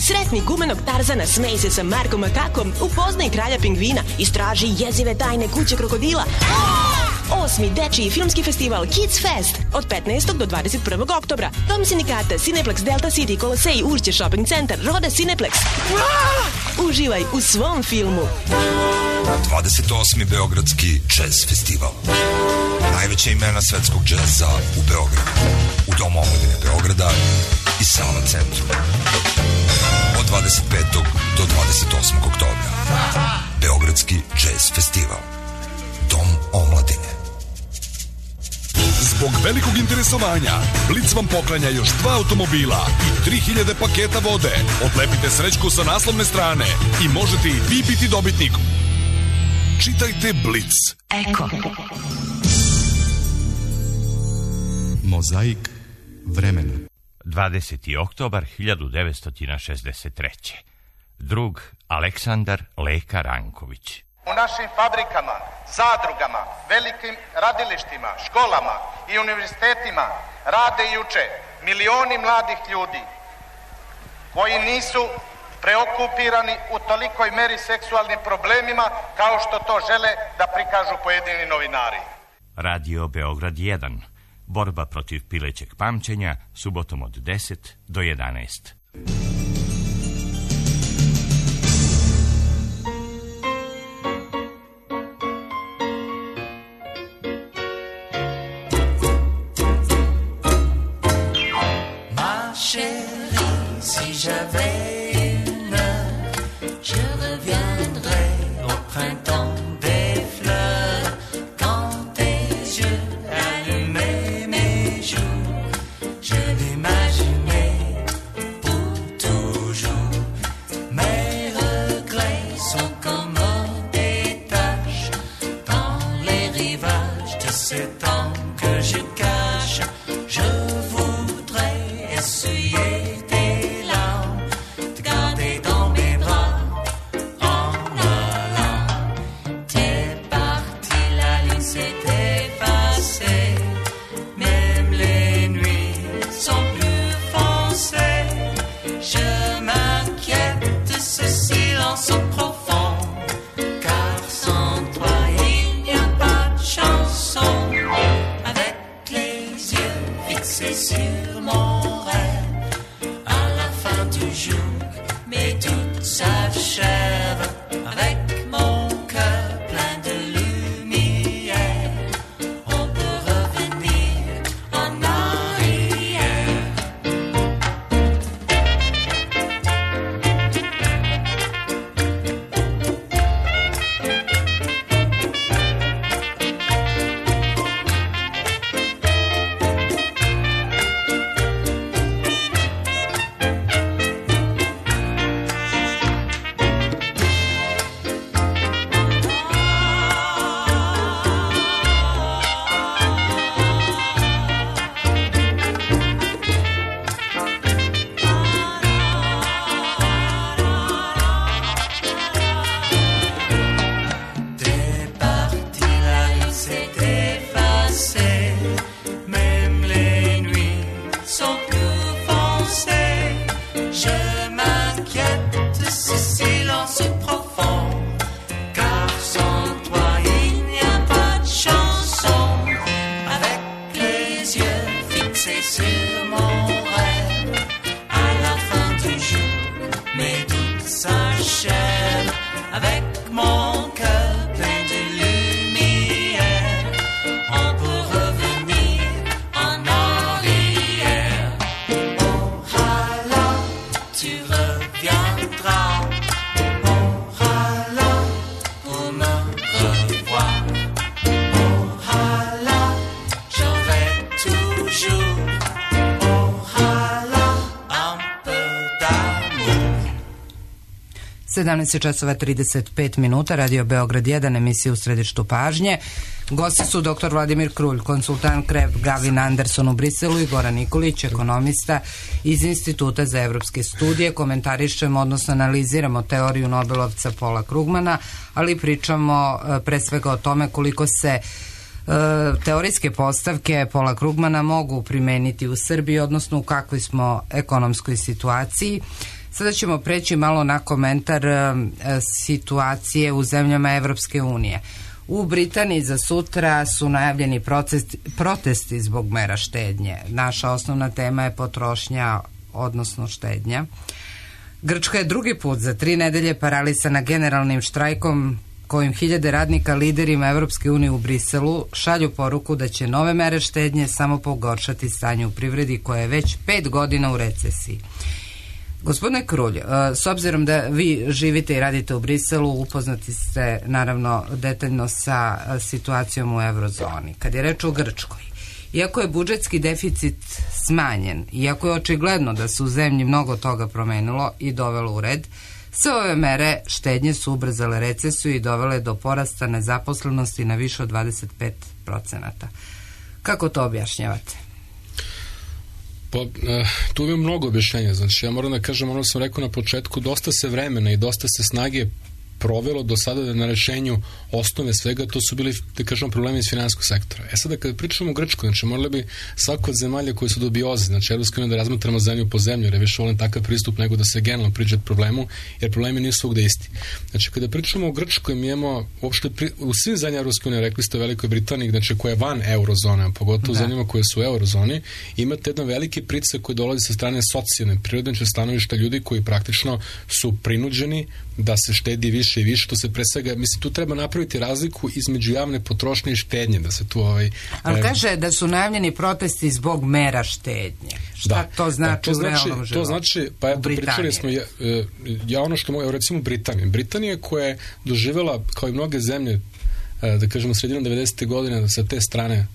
Sretni gumenog Tarzana, smej se sa Markom Makakom, upoznaj kralja pingvina, istraži jezive tajne kuće krokodila. 8. dečiji filmski festival Kids Fest od 15. do 21. oktobra. Dom sindikata, Cineplex, Delta City, Kolosej, Ušće Shopping Centar, Roda Cineplex. Uživaj u svom filmu. 28. Beogradski jazz festival. Najveća imena svetskog džeza u Beogradu. U Domu omladine Beograda i Sava centru. Od 25. do 28. oktobra. Beogradski jazz festival. Dom omladine. Zbog velikog interesovanja, Blic vam poklanja još 2 automobila i 3000 paketa vode. Odlepite srećku sa naslovne strane i možete i vi biti dobitnik. Čitajte Blic. Eko. Mozaik vremena. 20. oktobar 1963. Drug Aleksandar Leka Ranković. U našim fabrikama, zadrugama, velikim radilištima, školama i univerzitetima rade i uče milioni mladih ljudi koji nisu preokupirani u tolikoj meri seksualnim problemima kao što to žele da prikažu pojedini novinari. Radio Beograd 1. Borba protiv pilećeg pamćenja, subotom od 10 do 11. Si j'avais une heure, je reviendrais au printemps des fleurs. Quand tes yeux allumaient mes jours, je l'imaginais pour toujours. Mes regrets sont comme des taches dans les rivages de ces temps que je cache. Je voudrais essuyer sur mon rêve à la fin du jour, mes doutes s'achèvent avec mon cœur plein de lumière. On peut revenir en arrière. c'est sur mon rêve. À la fin du jour, mes doutes s'achèvent avec mon cœur plein de lumière. On peut revenir en arrière. Oh là, tu reviendras. Oh là, pour me revoir. Oh là, j'aurai toujours. Oh là, un peu d'amour. 17 časova 35 minuta, Radio Beograd 1, emisija U središtu pažnje. Gosti su dr. Vladimir Krulj, konsultant KREP Gavin Anderson u Briselu i Goran Nikolić, ekonomista iz Instituta za evropske studije. Komentarišemo, odnosno analiziramo teoriju Nobelovca Paula Krugmana, ali pričamo pre svega o tome koliko se teorijske postavke Paula Krugmana mogu primeniti u Srbiji, odnosno u kakvoj smo ekonomskoj situaciji. Sada ćemo preći malo na komentar situacije u zemljama Evropske unije. U Britaniji za sutra su najavljeni protesti zbog mera štednje. Naša osnovna tema je potrošnja, odnosno štednja. Grčka je drugi put za 3 nedelje paralisana generalnim štrajkom kojim hiljade radnika liderima Evropske unije u Briselu šalju poruku da će nove mere štednje samo pogoršati stanje u privredi koja je već 5 godina u recesiji. Gospodine Krulj, s obzirom da vi živite i radite u Briselu, upoznati ste naravno detaljno sa situacijom u eurozoni. Kad je reč o Grčkoj, iako je budžetski deficit smanjen, iako je očigledno da se u zemlji mnogo toga promenilo i dovelo u red, sve ove mere štednje su ubrzale recesiju i dovele do porasta nezaposlenosti na više od 25%. Kako to objašnjavate? Pa, tu imam mnogo objašnjenja. Znači, ja moram da kažem, ono sam rekao na početku, dosta se vremena i dosta se snage provelo do sada na rešenju osnove svega, to su bili, da kažemo, problemi iz finansijskog sektora. Sada kada pričamo o Grčkoj, znači morali bi svako od zemalja koje su dubioze, znači Evropska unija da razmatramo zemlju po zemlju, jer je više volim takav pristup nego da se generalno priđe problemu, jer problemi nisu svugde isti. Znači kada pričamo o Grčkoj, mi imamo uopšte u svim zemljama Evropske unije, rekli ste u Velikoj Britaniji, znači koja je van eurozone, pogotovo u zemljama koje su u eurozoni, imate jedan veliki pritisak koji dolazi sa strane socijalne, prirodne stanovišta ljudi koji praktično su prinuđeni da se štedi više i više, to se pre svega, mislim, tu treba napraviti razliku između javne potrošnje i štednje, da se tu Ali kaže da su najavljeni protesti zbog mera štednje. Šta to znači u realnom životu? To znači, pa eto, pričali smo, ja ono što mogu, recimo Britanija koja je doživjela, kao i mnoge zemlje, da kažemo, sredinom 90. godine, sa te strane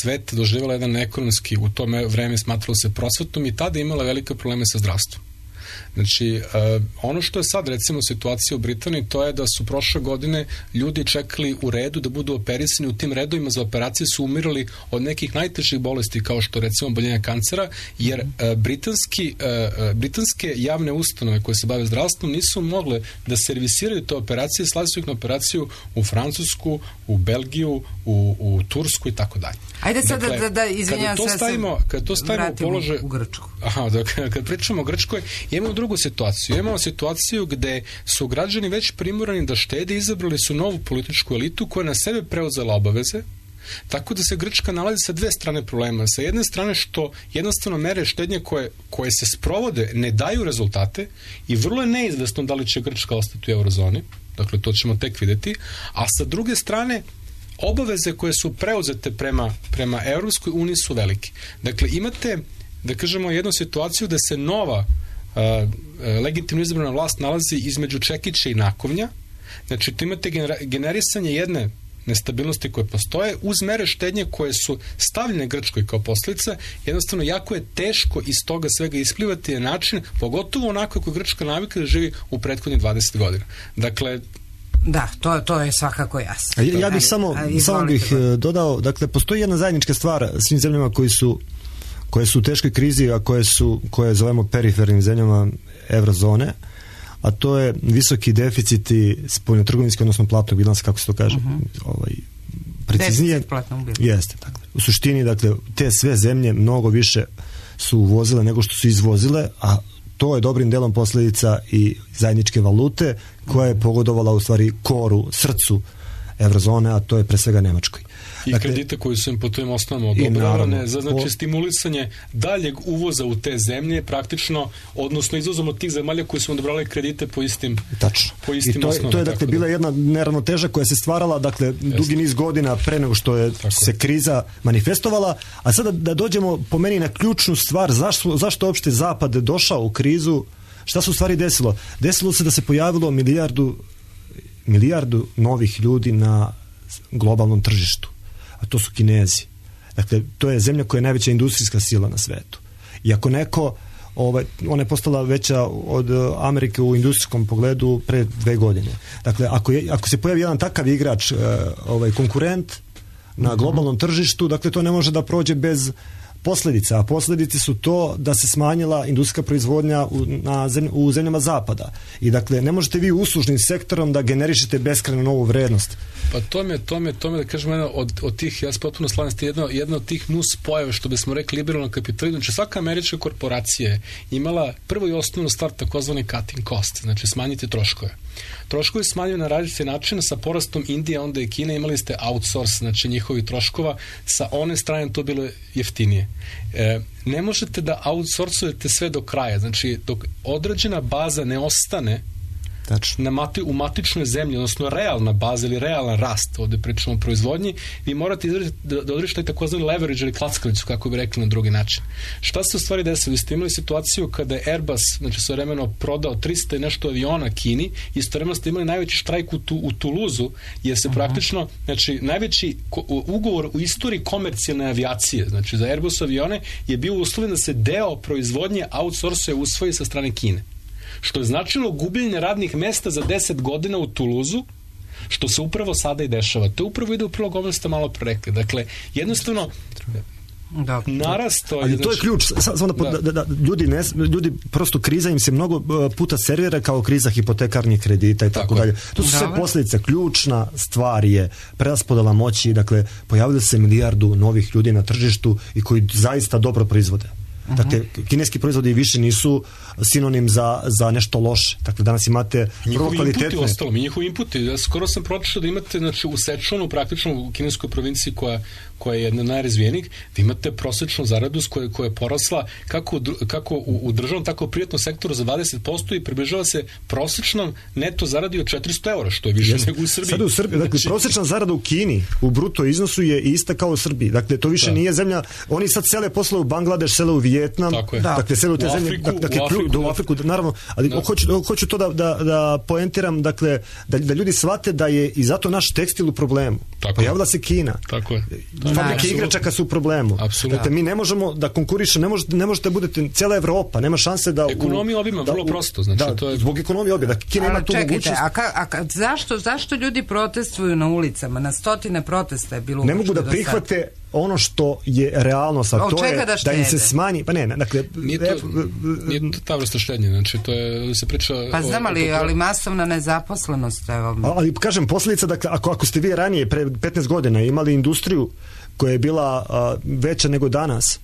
svet doživjela jedan ekonomski, u to vreme smatralo se prosvetnom i tada imala velike probleme sa zdravstvom. Znači, ono što je sad recimo situacija u Britaniji, to je da su prošle godine ljudi čekali u redu da budu operisani, u tim redovima za operacije su umirali od nekih najtežih bolesti kao što recimo oboljenja kancera, jer britanske javne ustanove koje se bave zdravstvom nisu mogle da servisiraju te operacije, slali su ih na operaciju u Francusku, u Belgiju, u Tursku i tako dalje. Ajde sad da izvinjam se, kad to stavimo u položaj u Grčku. Kad pričamo o Grčkoj, imamo drugu situaciju. Imamo situaciju gde su građani već primorani da štede, izabrali su novu političku elitu koja na sebe preuzela obaveze, tako da se Grčka nalazi sa dve strane problema. Sa jedne strane što jednostavno mere štednje koje se sprovode ne daju rezultate i vrlo je neizvesno da li će Grčka ostati u eurozoni, dakle to ćemo tek videti, a sa druge strane obaveze koje su preuzete prema Evropskoj uniji su velike. Dakle, imate, da kažemo, jednu situaciju da se nova legitimno izabrana vlast nalazi između čekića i nakovnja. Znači, tu imate generisanje jedne nestabilnosti koje postoje uz mere štednje koje su stavljene Grčkoj kao posljedica. Jednostavno, jako je teško iz toga svega isplivati na način, pogotovo onako kako Grčka navika da živi u prethodnih 20 godina. Dakle, da, to je svakako jasno. Ja bih samo bih dodao, dakle, postoji jedna zajednička stvar svim zemljama koje su u teškoj krizi, a koje zovemo perifernim zemljama eurozone, a to je visoki deficiti spoljnotrgovinski, odnosno platnog bilansa, kako se to kaže, preciznije. Deficit platnog bilansa. Jeste, dakle. U suštini, dakle, te sve zemlje mnogo više su uvozile nego što su izvozile, a to je dobrim delom posljedica i zajedničke valute koja je pogodovala u stvari koru, srcu eurozone, a to je pre svega Nemačkoj. I kredite koji su im po tim osnovama odobravane za stimulisanje daljeg uvoza u te zemlje, praktično, odnosno izvozom od tih zemalja koji su odobrali kredite po istim osnovama. To je dakle bila jedna neravnoteža koja se stvarala dugi niz godina pre nego što je se kriza manifestovala, a sada da dođemo po meni na ključnu stvar, zašto uopšte Zapad došao u krizu, šta se u stvari desilo? Desilo se da se pojavilo milijardu novih ljudi na globalnom tržištu, a to su Kinezi. Dakle, to je zemlja koja je najveća industrijska sila na svetu. I ako neko, ona je postala veća od Amerike u industrijskom pogledu pre 2 godine. Dakle, ako se pojavi jedan takav igrač, konkurent na globalnom tržištu, dakle, to ne može da prođe bez posljedica, a posljedice su to da se smanjila industrijska proizvodnja u zemljama zapada. I dakle, ne možete vi uslužnim sektorom da generišete beskrajno novu vrednost. Pa to me da kažem od tih, ja se potpuno slavim, jedna od tih nus pojava, što bismo rekli liberalno kapitalizam. Znači, svaka američka korporacija je imala prvo i osnovnu stvar takozvani cutting cost, znači smanjiti troškove. Troškovi smanjuju na različite načine, sa porastom Indije, onda i Kine, imali ste outsource, znači njihovi troškova, sa one strane to bilo jeftinije. Ne možete da outsourcujete sve do kraja, znači dok određena baza ne ostane u matičnoj zemlji, odnosno realna baza ili realan rast, ovdje pričamo o proizvodnji, vi morate da održite takozvani leverage ili klackalicu, kako bi rekli na drugi način. Šta se u stvari desilo? Vi ste imali situaciju kada je Airbus, znači svojevremeno prodao 300 i nešto aviona Kini, istovremeno ste imali najveći štrajk u Tuluzu, jer se praktično, znači najveći ugovor u istoriji komercijalne avijacije, znači za Airbus avione, je bio uslovljen da se deo proizvodnje outsource usvoji sa strane Kine. Što je značilo gubljenje radnih mesta za 10 godina u Tuluzu, što se upravo sada i dešava. To upravo ide u prilog ovome ste malo prerekli. Dakle, jednostavno narasto... Ali to je ključ. Ljudi prosto, kriza im se mnogo puta servira kao kriza hipotekarnih kredita i tako dalje. To su sve posljedice. Ključna stvar je preraspodela moći. Dakle, pojavili se milijardu novih ljudi na tržištu i koji zaista dobro proizvode. Dakle, kineski proizvodi više nisu sinonim za nešto loše. Dakle, danas imate vrlo kvalitetne... Njihovi inputi. Ja skoro sam pročitao da imate, znači, u Sečuanu, praktično u kineskoj provinciji koja je jedna najrazvijenijih, da imate prosječnu zaradu koja je porasla kako u državnom, tako u privatnom sektoru za 20% i približava se prosječnom neto zaradi od 400 eura, što je više nego u Srbiji. Sada u Srbiji, dakle, prosječna zarada u Kini u bruto iznosu je ista kao u Srbiji. Dakle, to više nije zemlja, oni sad sele posle u Bangladeš, sele u Vijetnam, dakle, sele u te zemlje, u Afriku, naravno, ali hoću to da poentiram, dakle, da ljudi shvate da je i zato naš tekstil u problemu. Pojavila se Kina. Tako je. Fabrike igračaka su u problemu. Dakle, mi ne možemo da konkurišemo, ne možete budete cijela Evropa, nema šanse da... Ekonomija obima, vrlo prosto. Znači, to je... Zbog ekonomije obima, da Kina ima tu mogućnost... Zašto ljudi protestuju na ulicama? Na stotine protesta je bilo... Ne mogu da prihvate ono što je realnost, a to je da im se smanji... Pa ne, dakle... Nije to ta vrsta štednje, znači to je, se priča... Pa znam, ali masovna nezaposlenost, evo... Ali kažem, posljedica, dakle, ako ste vi ranije, pre 15 godina, imali industriju koja je bila veća nego danas,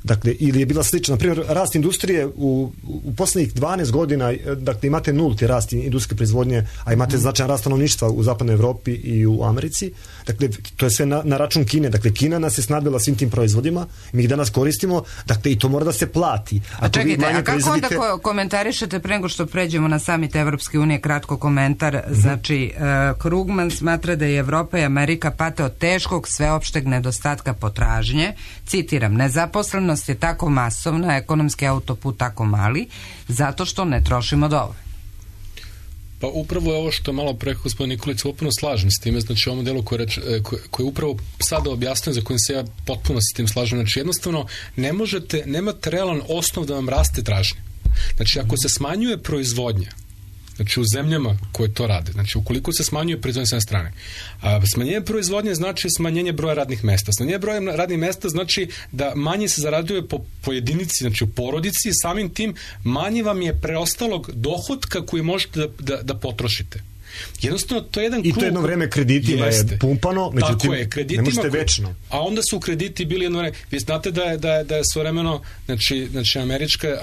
dakle, ili je bila slična. Na primjer, rast industrije u posljednjih 12 godina, dakle, imate nulti rast industrijske proizvodnje, a imate značajan rast stanovništva u zapadnoj Evropi i u Americi. Dakle, to je sve na račun Kine. Dakle, Kina nas je snabdila svim tim proizvodima, mi ih danas koristimo, dakle, i to mora da se plati. A čekajte, a kako onda komentarišete pre nego što pređemo na samit Evropske unije, kratko komentar, znači, Krugman smatra da je Evropa i Amerika pate od teškog sveopšteg nedostatka potražnje, citiram, nezaposlenost je tako masovna, ekonomski autoput tako mali, zato što ne trošimo dovoljno. Pa upravo je ovo što je malo pre gospodin Nikolić potpuno slažem s time, znači ovom delu koji upravo sada objasnio, za kojim se ja potpuno s tim slažem, znači jednostavno nemate realan osnov da vam raste tražnje. Znači ako se smanjuje proizvodnja, znači u zemljama koje to rade, znači ukoliko se smanjuje proizvodnja s jedne strane, a smanjenje proizvodnje znači smanjenje broja radnih mesta. Smanjenje broja radnih mesta znači da manje se zarađuje po jedinici, znači u porodici, i samim tim manje vam je preostalog dohotka koji možete da potrošite. Jednostavno, to je jedan krug. I to jedno vreme kreditima je pumpano, međutim, ne možete večno. A onda su krediti bili jedno vreme. Vi znate da je svojevremeno, znači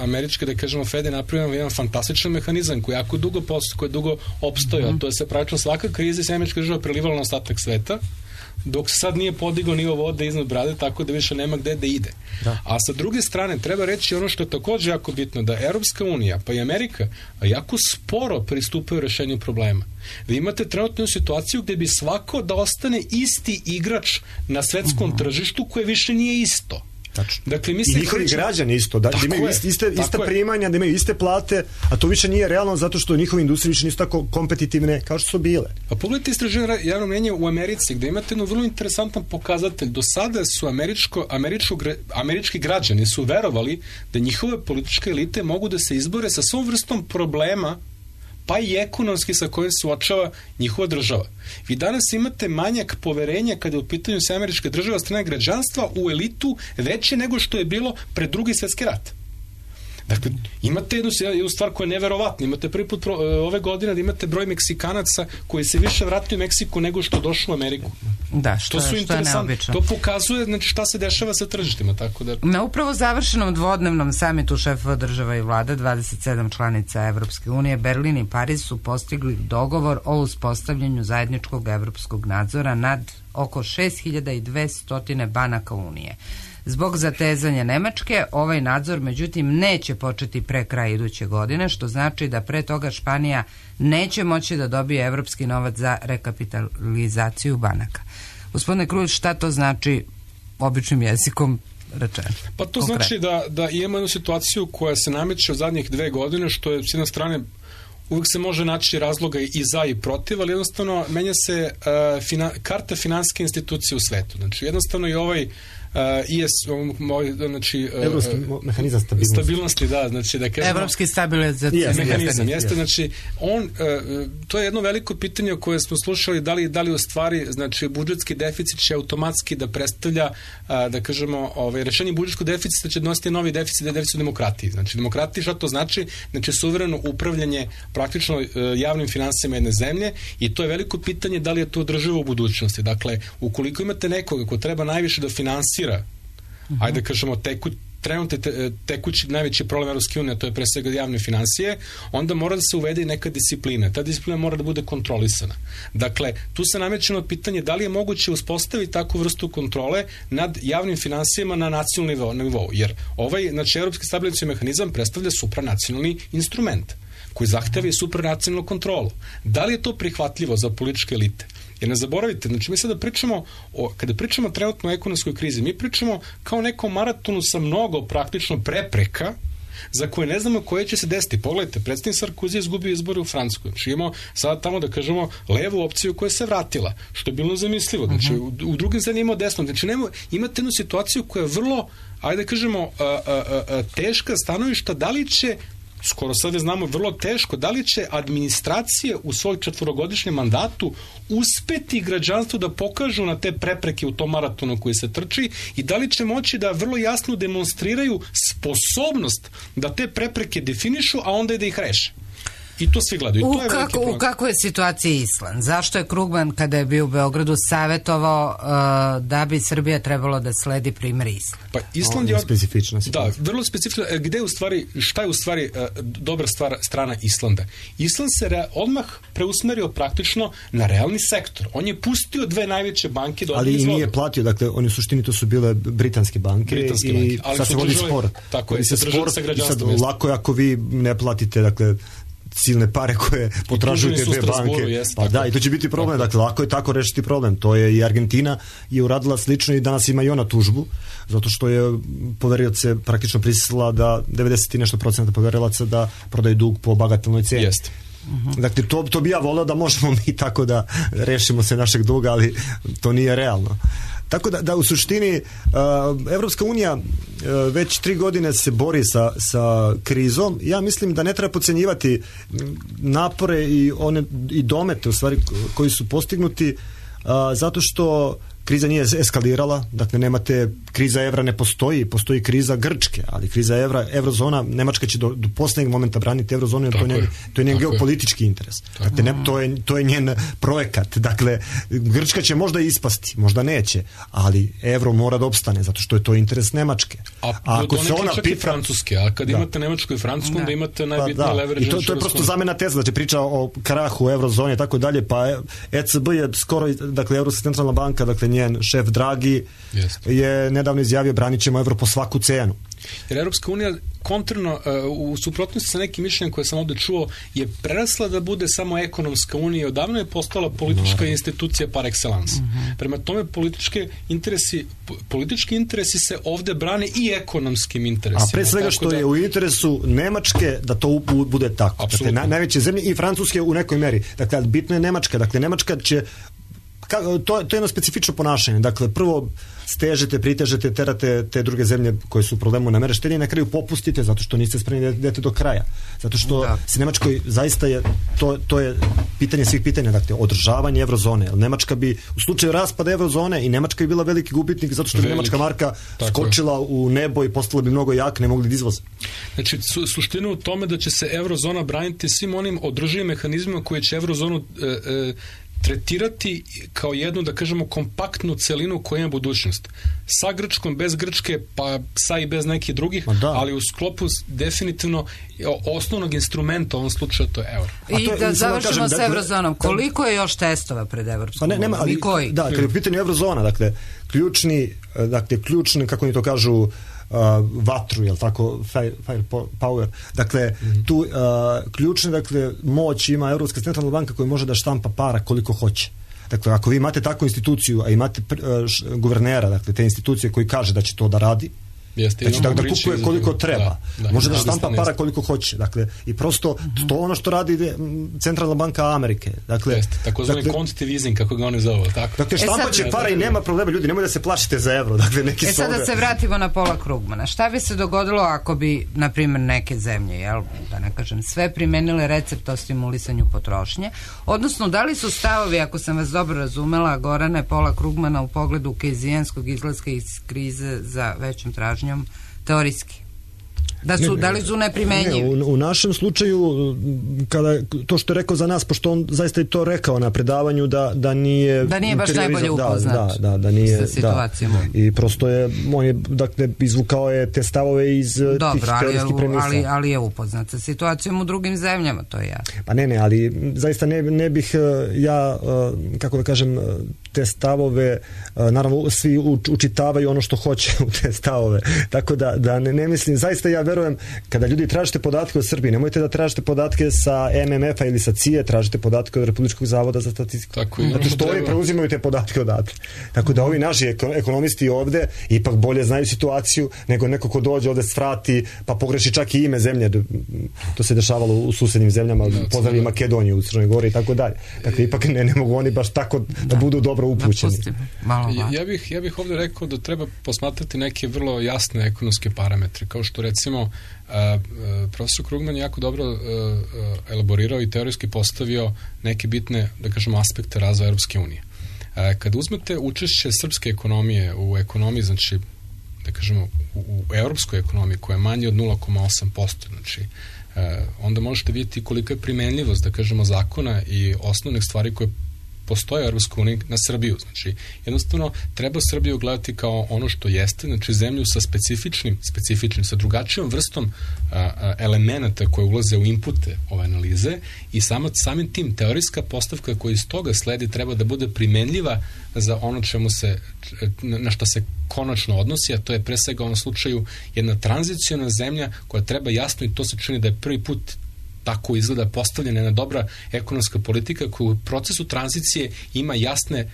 američka, da kažemo, Fed je napravio jedan fantastičan mehanizam koji jako dugo opstoji, a to je se praktično svaka kriza se američka država prelivala na ostatak sveta. dok sad nije podigao nivo vode iznad brade, tako da više nema gde da ide. Da. A sa druge strane, treba reći ono što je također jako bitno, da Europska unija, pa i Amerika, jako sporo pristupaju rešenju problema. Vi imate trenutnu situaciju gde bi svako da ostane isti igrač na svetskom tržištu koje više nije isto. Dakle, i njihovi građani isto, da imaju ista primanja, da imaju iste plate, a to više nije realno zato što njihove industrije više nisu tako kompetitivne kao što su bile. Pa pogledajte istraživanje javnog mnjenja u Americi, gde imate jedno vrlo interesantan pokazatelj. Do sada su američki građani su verovali da njihove političke elite mogu da se izbore sa svom vrstom problema, pa i ekonomski sa kojim se suočava njihova država. Vi danas imate manjak poverenja kada je u pitanju se američke države od strane građanstva u elitu veće nego što je bilo pred Drugi svjetski rat. Dakle, imate jednu stvar koja je neverovatna. Imate prvi put ove godine da imate broj Meksikanaca koji se više vratio u Meksiku nego što došlo u Ameriku. Da, što je neobično. To pokazuje, znači, šta se dešava sa tržištima. Tako da... Na upravo završenom dvodnevnom samitu šefova država i vlada 27 članica Evropske unije, Berlin i Pariz su postigli dogovor o uspostavljanju zajedničkog evropskog nadzora nad oko 6200 banaka Unije. Zbog zatezanja Nemačke, ovaj nadzor međutim neće početi pre kraja iduće godine, što znači da pre toga Španija neće moći da dobije evropski novac za rekapitalizaciju banaka. Gospodine Krujić, šta to znači običnim jezikom rečeno? Pa to znači da imamo jednu situaciju koja se nameće od zadnjih 2 godine, što je s jedne strane uvijek se može naći razloga i za i protiv, ali jednostavno menja se karta finansijske institucije u svetu. Znači jednostavno i ovaj znači evropski mehanizam stabilnosti, da, znači da kažemo evropski stabilizacijski mehanizam jeste, znači to je jedno veliko pitanje o koje smo slušali, da li u stvari, znači budžetski deficit će automatski da predstavlja, da kažemo, rešenje budžetskog deficita će donositi novi deficit demokratiji. Znači demokratiji, šta to znači? Znači suvereno upravljanje praktično javnim finansijama jedne zemlje, i to je veliko pitanje da li je to održivo u budućnosti. Dakle, ukoliko imate nekoga ko treba najviše da finansira, ajde kažemo trenutno tekući najveći problem Europske unije, to je pre svega javne financije, onda mora da se uvede i neka disciplina. Ta disciplina mora da bude kontrolisana. Dakle, tu se nameće pitanje da li je moguće uspostaviti takvu vrstu kontrole nad javnim finansijama na nacionalnom nivou, jer znači, evropski stabilizacijski mehanizam predstavlja supranacionalni instrument koji zahteva i supranacionalnu kontrolu. Da li je to prihvatljivo za političke elite? Jer ne zaboravite, znači mi sada pričamo, kada pričamo trenutno o ekonomskoj krizi, mi pričamo kao nekom maratonu sa mnogo praktično prepreka za koje ne znamo koje će se desiti. Pogledajte, predsjednik Sarkozy je izgubio izbore u Francuskoj. Znači imamo sada tamo, da kažemo, levu opciju koja se vratila, što je bilo zamislivo. Znači u drugim zemljama imamo desno. Znači imate jednu situaciju koja je vrlo, ajde da kažemo, teška stanovišta, da li će, skoro sada znamo vrlo teško, da li će administracije u svoj 4-godišnjem mandatu uspeti građanstvu da pokažu na te prepreke u tom maratonu koji se trči, i da li će moći da vrlo jasno demonstriraju sposobnost da te prepreke definišu, a onda i da ih reše. I to svi gledaju. U kakvoj je situaciji Island? Zašto je Krugman, kada je bio u Beogradu, savjetovao da bi Srbija trebalo da sledi primjer Island? Pa Island je specifična situacija. Da, vrlo specifična. Gde je u stvari, šta je u stvari dobra strana Islanda? Island se odmah preusmerio praktično na realni sektor. On je pustio 2 najveće banke da ali i nije platio, dakle, oni u suštini to su bile britanske banke i sad se vodi spor. Tako je, se držali sa građanstvom. Lako je ako vi ne platite, dakle, silne pare koje potražuju te 2 banke. Pa da, i to će biti problem. Dakle, lako je tako rešiti problem. To je i Argentina je uradila slično i danas ima i ona tužbu, zato što je poverioce praktično prisilila da 90 i nešto % poverilaca da prodaju dug po bagatelnoj cijeni. Jeste. Dakle, to bi ja voleo da možemo mi tako da rešimo se našeg duga, ali to nije realno. Tako da u suštini Evropska unija već 3 godine se bori sa krizom. Ja mislim da ne treba podcenjivati napore i domete u stvari koji su postignuti, zato što kriza nije eskalirala, dakle nemate, kriza evra ne postoji, postoji kriza Grčke, ali kriza evrozona, Nemačka će do posljednjeg momenta braniti evrozonu, jer to je njen geopolitički interes. Dakle, to je njen projekat. Dakle, Grčka će možda ispasti, možda neće, ali evro mora da opstane, zato što je to interes Nemačke. ako se ona pita francuske, a kad imate Nemačku i Francusku, onda imate najbitnije leverage. I to je prosto zamena teza, znači priča o krahu eurozone i tako dalje, pa ECB je skoro, dakle Europska centralna banka, dakle njen šef Draghi je nedavno izjavio branit ćemo euro po svaku cenu. Jer Europska unija kontrarno, u suprotnosti sa nekim mišljenjem koje sam ovde čuo, je prerasla da bude samo ekonomska unija, odavno je postala politička institucija par excellence. Prema tome politički interesi se ovde brane i ekonomskim interesima. A pre svega što je u interesu Nemačke da to bude tako. Dakle, najveće zemlje i Francuske u nekoj meri. Dakle, bitno je Nemačka. Dakle, Nemačka će to je jedno specifično ponašanje. Dakle, prvo stežete, pritežete, terate te druge zemlje koje su u problemu na mere štednje i na kraju popustite zato što niste spremni da idete do kraja. Zato što se Nemačkoj zaista je, to je pitanje svih pitanja, dakle, održavanje eurozone. Nemačka bi, u slučaju raspada eurozone i Nemačka bi bila veliki gubitnik zato što bi nemačka marka skočila u nebo i postala bi mnogo jaka, ne mogli da izvoze. Znači, suština u tome da će se eurozona braniti svim onim održivim mehanizmima koje će eurozonu tretirati kao jednu, da kažemo, kompaktnu celinu koja ima budućnost. Sa Grčkom, bez Grčke, pa sa i bez nekih drugih, ali u sklopu definitivno osnovnog instrumenta u ovom slučaju to je euro. I da završimo s eurozonom. Koliko je još testova pred Evropskom unijom? I koji? Da, kad je u pitanju eurozona, dakle, ključni, kako oni to kažu, vatru, jel tako, fire power. Dakle, tu ključne, dakle, moć ima Europska centralna banka koja može da štampa para koliko hoće. Dakle, ako vi imate takvu instituciju, a imate guvernera, dakle, te institucije koji kaže da će to da radi, znači da kupuje koliko treba, može da štampa para koliko hoće, dakle, i prosto to ono što radi Centralna banka Amerike, dakle, takozvani quantitative easing, kako ga oni zovu, tako? Dakle, štampa će para i nema problema, ljudi, nemoj da se plašite za evro, dakle, neki su sada se vratimo na Paula Krugmana. Šta bi se dogodilo ako bi, na primjer, neke zemlje, jel, da ne kažem, sve primenile recept o stimulisanju potrošnje, odnosno, da li su stavovi, ako sam vas dobro razumela, Gorane, Paula Krugmana u pogledu kejnzijanskog izlaska iz krize za većom tražnjom teorijski? Da li su neprimenjivi? U našem slučaju, kada to što je rekao za nas, pošto on zaista je to rekao na predavanju, da nije baš najbolje upoznat da nije, sa situacijom. I prosto je, on je, dakle, izvukao je te stavove iz tih teorijskih premisa. Ali je upoznat sa situacijom u drugim zemljama, to je jasno. Pa ne, ali zaista ne bih ja, kako da kažem, te stavove, naravno svi učitavaju ono što hoće u te stavove, tako da ne mislim, zaista ja verujem, kada ljudi tražite podatke o Srbiji, nemojte da tražite podatke sa MMF-a ili sa CIA, tražite podatke od Republičkog zavoda za statistiku. Zato što oni preuzimaju te podatke odatle. Tako da ovi naši ekonomisti ovde ipak bolje znaju situaciju nego neko ko dođe ovde svrati pa pogreši čak i ime zemlje. To se dešavalo u susednim zemljama, pozdravi Makedoniju u Crnoj Gori i tako dalje. Dakle, ipak ne mogu oni baš tako da budu dobro upućeni. Ja bih ovde rekao da treba posmatrati neke vrlo jasne ekonomske parametre, kao što recimo profesor Krugman je jako dobro elaborirao i teorijski postavio neke bitne, da kažemo, aspekte razvoja Europske unije. Kada uzmete učešće srpske ekonomije u ekonomiji, znači, da kažemo, u europskoj ekonomiji koja je manje od 0,8%, znači, onda možete vidjeti koliko je primenljivost, da kažemo, zakona i osnovnih stvari koje postoje u Europskoj uniji na Srbiju. Znači, jednostavno, treba Srbiju gledati kao ono što jeste, znači zemlju sa specifičnim, sa drugačijom vrstom elemenata koje ulaze u inpute ove analize i samim tim teorijska postavka koja iz toga sledi treba da bude primenljiva za ono na što se konačno odnosi, a to je pre svega u ovom slučaju jedna tranziciona zemlja koja treba jasno, i to se čini da je prvi put tako izgleda postavljena jedna dobra ekonomska politika koja u procesu tranzicije ima jasne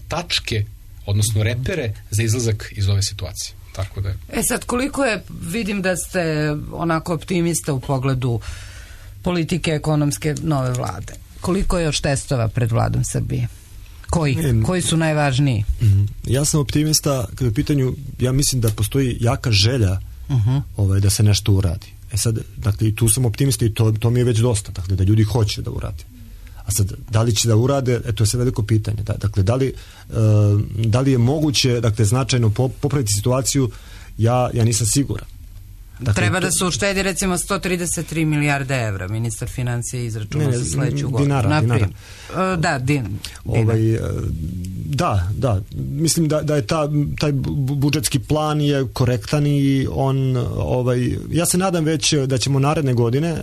tačke, odnosno repere za izlazak iz ove situacije. Tako da je. Sad, koliko je, vidim da ste onako optimista u pogledu politike ekonomske nove vlade. Koliko je još testova pred vladom Srbije? Koji su najvažniji? Ja sam optimista kada u pitanju, ja mislim da postoji jaka želja da se nešto uradi. Sad, dakle, i tu sam optimista i to mi je već dosta, dakle, da ljudi hoće da urade. A sad, da li će da urade, to je sve veliko pitanje. Dakle, da li je moguće, dakle, značajno popraviti situaciju, ja nisam siguran. Dakle, treba da se uštedi recimo 133 milijarde evra, ministar financija izračunao za sledeću godinu. Dinara. Da, Da, mislim da je taj budžetski plan je korektan i on, ja se nadam već da ćemo naredne godine,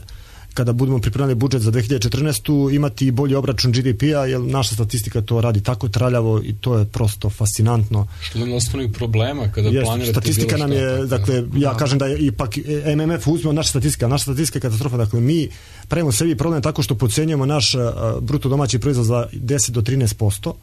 kada budemo pripremali budžet za 2014. imati bolji obračun GDP-a, jer naša statistika to radi tako traljavo i to je prosto fascinantno. Što nam osnovnih problema kada planirate statistika nam je, dakle, ja kažem da je ipak MMF uzme od naše statistike, a naša statistika je katastrofa, dakle mi pravimo sebi problem tako što podcenjujemo naš bruto domaći proizvod za 10 do 13%.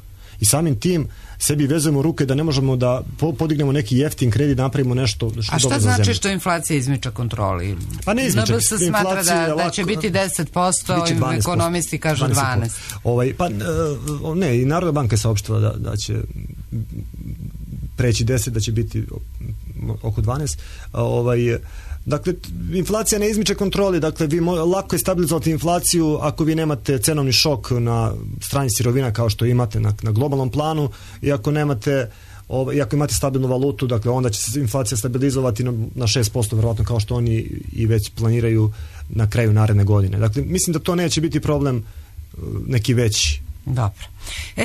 I samim tim sebi vezujemo ruke da ne možemo da podignemo neki jeftin kredit, da napravimo nešto što dobro za zemlju. A šta znači što inflacija izmiča kontroli? Pa ne izmiča. NBS smatra da će biti 10%, ekonomisti kažu 12%. Ne, i Narodna banka je saopštila da će preći 10, da će biti oko 12. Dakle, inflacija ne izmiče kontroli, dakle, lako je stabilizovati inflaciju ako vi nemate cenovni šok na strani sirovina kao što imate na globalnom planu i ako imate stabilnu valutu, dakle, onda će se inflacija stabilizovati na 6%, verovatno kao što oni i već planiraju na kraju naredne godine. Dakle, mislim da to neće biti problem neki veći. Dobro.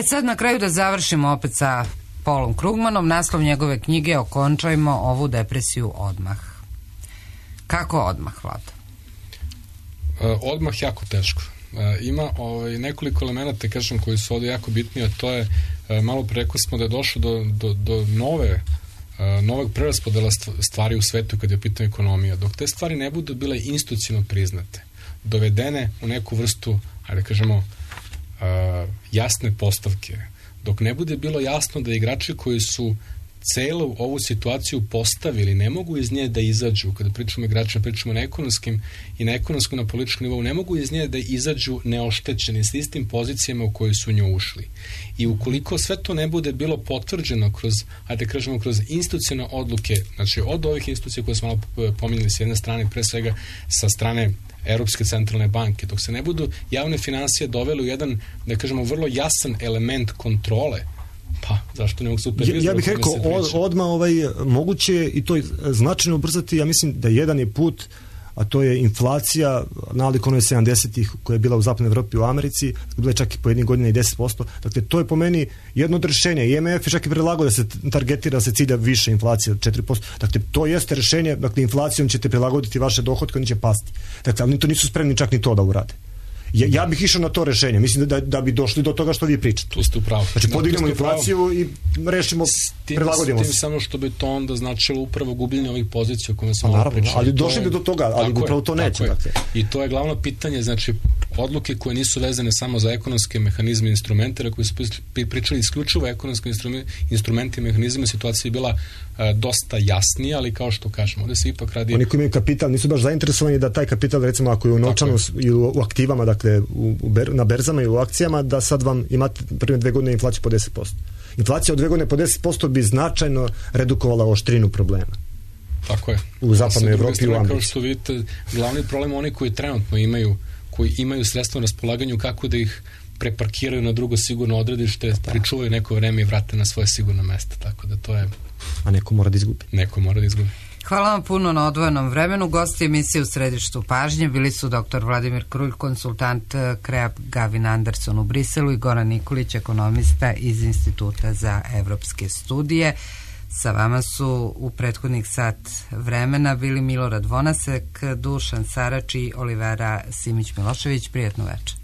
Sad na kraju da završimo opet sa Paulom Krugmanom, naslov njegove knjige Okončajmo ovu depresiju odmah. Kako odmah, Vlada? Odmah jako teško. Ima nekoliko elemenata, kažem, koji su ovdje jako bitni, a to je, malo pre rekli smo da je došlo do novog preraspodela stvari u svetu kad je u pitanju ekonomija. Dok te stvari ne budu bile institucionalno priznate, dovedene u neku vrstu, ajde kažemo, jasne postavke, dok ne bude bilo jasno da igrači koji su celu ovu situaciju postavili, ne mogu iz nje da izađu, kada pričamo igračima, pričamo na ekonomskim i na ekonomskom, na političkom nivou, ne mogu iz nje da izađu neoštećeni s istim pozicijama u koje su nju ušli. I ukoliko sve to ne bude bilo potvrđeno kroz, ajde kažemo, kroz institucionalne odluke, znači od ovih institucija koje smo malo pominjali s jedne strane, pre svega sa strane Europske centralne banke, dok se ne budu javne financije doveli u jedan, da kažemo, vrlo jasan element kontrole, pa, zašto ne mogu supervizor? Ja bih rekao, odmah moguće i to značajno ubrzati, ja mislim da jedan je put, a to je inflacija nalik onoj 70-ih koja je bila u zapadnoj Evropi, u Americi, bila je čak i po jednih godina i 10%. Dakle, to je po meni jedno od rešenja. I MMF je čak i predlagao da se targetira, da se cilja više inflacije od 4%. Dakle, to jeste rešenje, dakle, inflacijom ćete prilagoditi vaše dohotke, oni će pasti. Dakle, ali to nisu spremni čak ni to da urade. Ja bih išao na to rešenje. Mislim da bi došli do toga što vi pričate. Tu ste u pravu. Znači, podignemo inflaciju i rešimo, prilagodimo se. Samo što bi to onda značilo upravo gubljenje ovih pozicija o kojima smo malo pričali. Ali došli bi do toga, ali upravo to neće. Dakle. I to je glavno pitanje, znači, odluke koje nisu vezane samo za ekonomske mehanizme i instrumente, koji su pričali isključivo ekonomske instrumente i mehanizme, situacija je bila dosta jasnija, ali kao što kažemo, ovdje se ipak radi... Oni koji imaju kapital nisu baš zainteresovani da taj kapital, recimo, ako je u novčanu ili u aktivama, dakle, na berzama i u akcijama, da sad vam imate prve 2 godine inflaciju po 10%. Inflacija od 2 godine po 10% bi značajno redukovala oštrinu problema. Tako je. U zapadnoj Evropi i u Americi. Kao što vidite, glavni problem oni koji trenutno imaju sredstva na raspolaganju, kako da ih preparkiraju na drugo sigurno odredište, pričuvaju neko vreme i vrate na svoje sigurno mesto. Tako da to je... A neko mora da izgubi. Hvala vam puno na odvojenom vremenu. Gosti emisije u središtu pažnje bili su dr. Vladimir Krulj, konsultant KREAP Gavin Anderson u Briselu i Goran Nikolić, ekonomista iz Instituta za evropske studije. Sa vama su u prethodnih sat vremena bili Milorad Vonasek, Dušan Sarač i Olivera Simić-Milošević. Prijatno večer.